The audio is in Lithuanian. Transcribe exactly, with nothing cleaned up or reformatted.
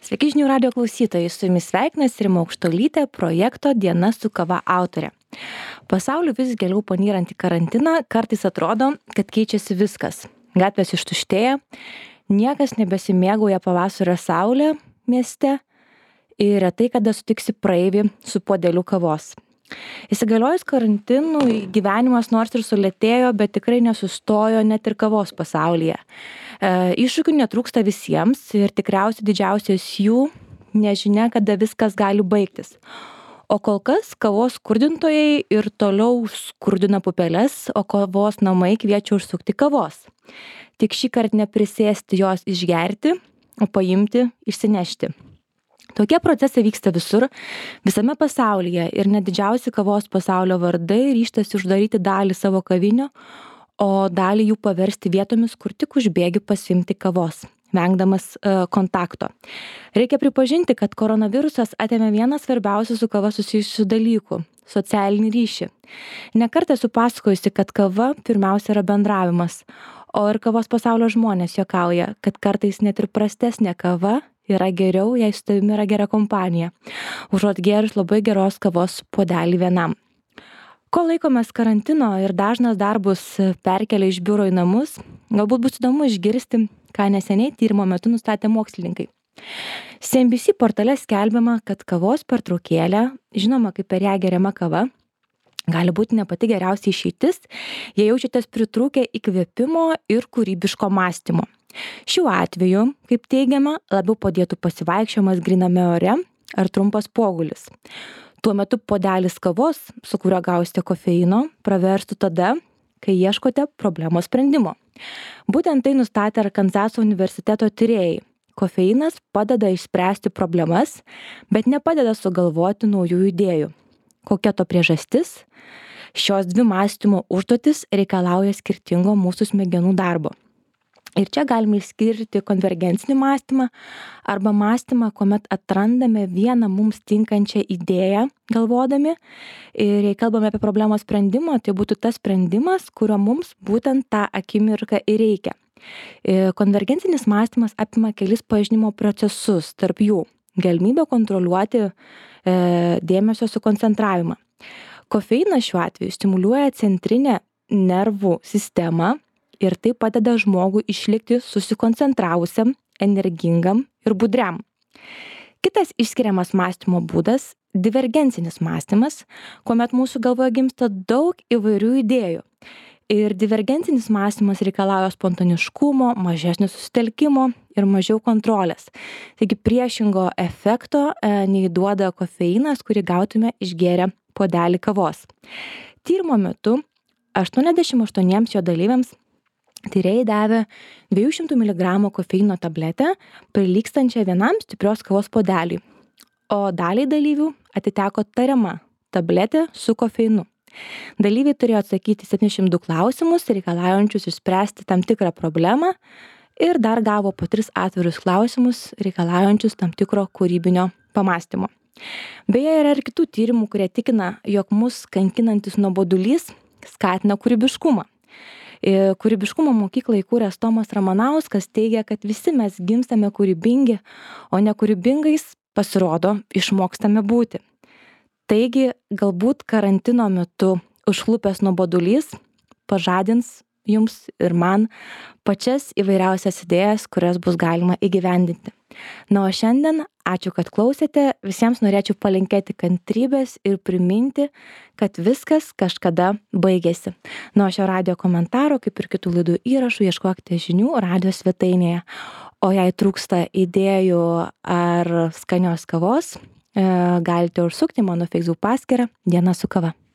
Sveiki žinių radio klausytojai, su jumis sveikinasi Rima Aukštuolytė, projekto Diena su kava autorė. Pasauliu vis giliau panyrant į karantiną, kartais atrodo, kad keičiasi viskas. Gatvės ištuštėja, niekas nebesimėgauja pavasario saulė mieste ir retai kada sutiksi praeivį su puodeliu kavos. Įsigaliojus karantinui gyvenimas nors ir sulėtėjo, bet tikrai nesustojo net ir kavos pasaulyje. E, iššūkių netrūksta visiems ir tikriausiai didžiausias jų nežinia, kada viskas gali baigtis. O kol kas kavos skurdintojai ir toliau skurdina pupeles, o kavos namai kviečia užsukti kavos. Tik šį kartą neprisėsti jos išgerti, o paimti, išsinešti. Tokie procesai vyksta visur, visame pasaulyje ir net didžiausi kavos pasaulio vardai ryžtasi uždaryti dalį savo kavinių, o dalį jų paversti vietomis, kur tik užbėgi pasiimti kavos, vengdamas uh, kontakto. Reikia pripažinti, kad koronavirusas atėmė vieną svarbiausių su kava susijusių dalykų - socialinį ryšį. Nekartą esu pasakojusi, kad kava pirmiausia yra bendravimas, o ir kavos pasaulio žmonės juokauja, kad kartais net ir prastesnė kava yra geriau, jei su tavimi yra gera kompanija, užuot gėrus labai geros kavos puodelį vienam. Kol laikomės karantino ir dažnas darbus perkelia iš biuro į namus, galbūt bus įdomu išgirsti, ką neseniai tyrimo metu nustatė mokslininkai. C N B C portale skelbiama, kad kavos pertraukėlė, žinoma kaip per ją geriama kava, gali būti ne pati geriausia išeitis, jei jaučiatės pritrūkę įkvėpimo ir kūrybiško mąstymo. Šiuo atveju, kaip teigiama, labiau padėtų pasivaikščiojimas gryname ore ar trumpas pogulis. Tuo metu puodelis kavos, su kuriuo gausite kofeino, praverstų tada, kai ieškote problemos sprendimo. Būtent tai nustatė Arkanzaso universiteto tyrėjai. Kofeinas padeda išspręsti problemas, bet nepadeda sugalvoti naujų idėjų. Kokia to priežastis? Šios dvi mąstymo užduotis reikalauja skirtingo mūsų smegenų darbo. Ir čia galime išskirti konvergencinį mąstymą arba mąstymą, kuomet atrandame vieną mums tinkančią idėją galvodami. Ir jei kalbame apie problemos sprendimą, tai būtų tas sprendimas, kurio mums būtent tą akimirką ir reikia. Konvergencinis mąstymas apima kelis pažinimo procesus, tarp jų galimybę kontroliuoti e, dėmesio sukoncentravimą. Kofeinas šiuo atveju stimuliuoja centrinę nervų sistemą, ir tai padeda žmogui išlikti susikoncentravusiam, energingam ir budriam. Kitas išskiriamas mąstymo būdas - divergencinis mąstymas, kuomet mūsų galvoje gimsta daug įvairių idėjų. Ir divergencinis mąstymas reikalauja spontaniškumo, mažesnio susitelkimo ir mažiau kontrolės. Taigi priešingo efekto e, nei duoda kofeinas, kurį gautume išgėrę puodelį kavos. Tyrimo metu aštuoniasdešimt aštuoniems jo dalyviams tyrėjai davė dviejų šimtų miligramų kofeino tabletę, prilygstančią vienam stiprios kavos puodeliui, o daliai dalyvių atiteko tariama tabletė su kofeinu. Dalyviai turėjo atsakyti septyniasdešimt du klausimus, reikalaujančius išspręsti tam tikrą problemą ir dar gavo po tris atvirus klausimus, reikalaujančius tam tikro kūrybinio pamąstymo. Beje, yra ir kitų tyrimų, kurie tikina, jog mus kankinantis nuobodulys skatina kūrybiškumą. Kūrybiškumo mokyklą įkūręs Tomas Ramanauskas teigia, kad visi mes gimstame kūrybingi, o nekūrybingais, pasirodo, išmokstame būti. Taigi, galbūt karantino metu užklupęs nuobodulys pažadins jums ir man pačias įvairiausias idėjas, kurias bus galima įgyvendinti. Na, o šiandien ačiū, kad klausėte, visiems norėčiau palinkėti kantrybės ir priminti, kad viskas kažkada baigėsi. Na, o šio radio komentaro, kaip ir kitų laidų įrašų, ieškokite žinių radio svetainėje. O jei trūksta idėjų ar skanios kavos, galite užsukti mano Facebook paskyrą Diena su kava.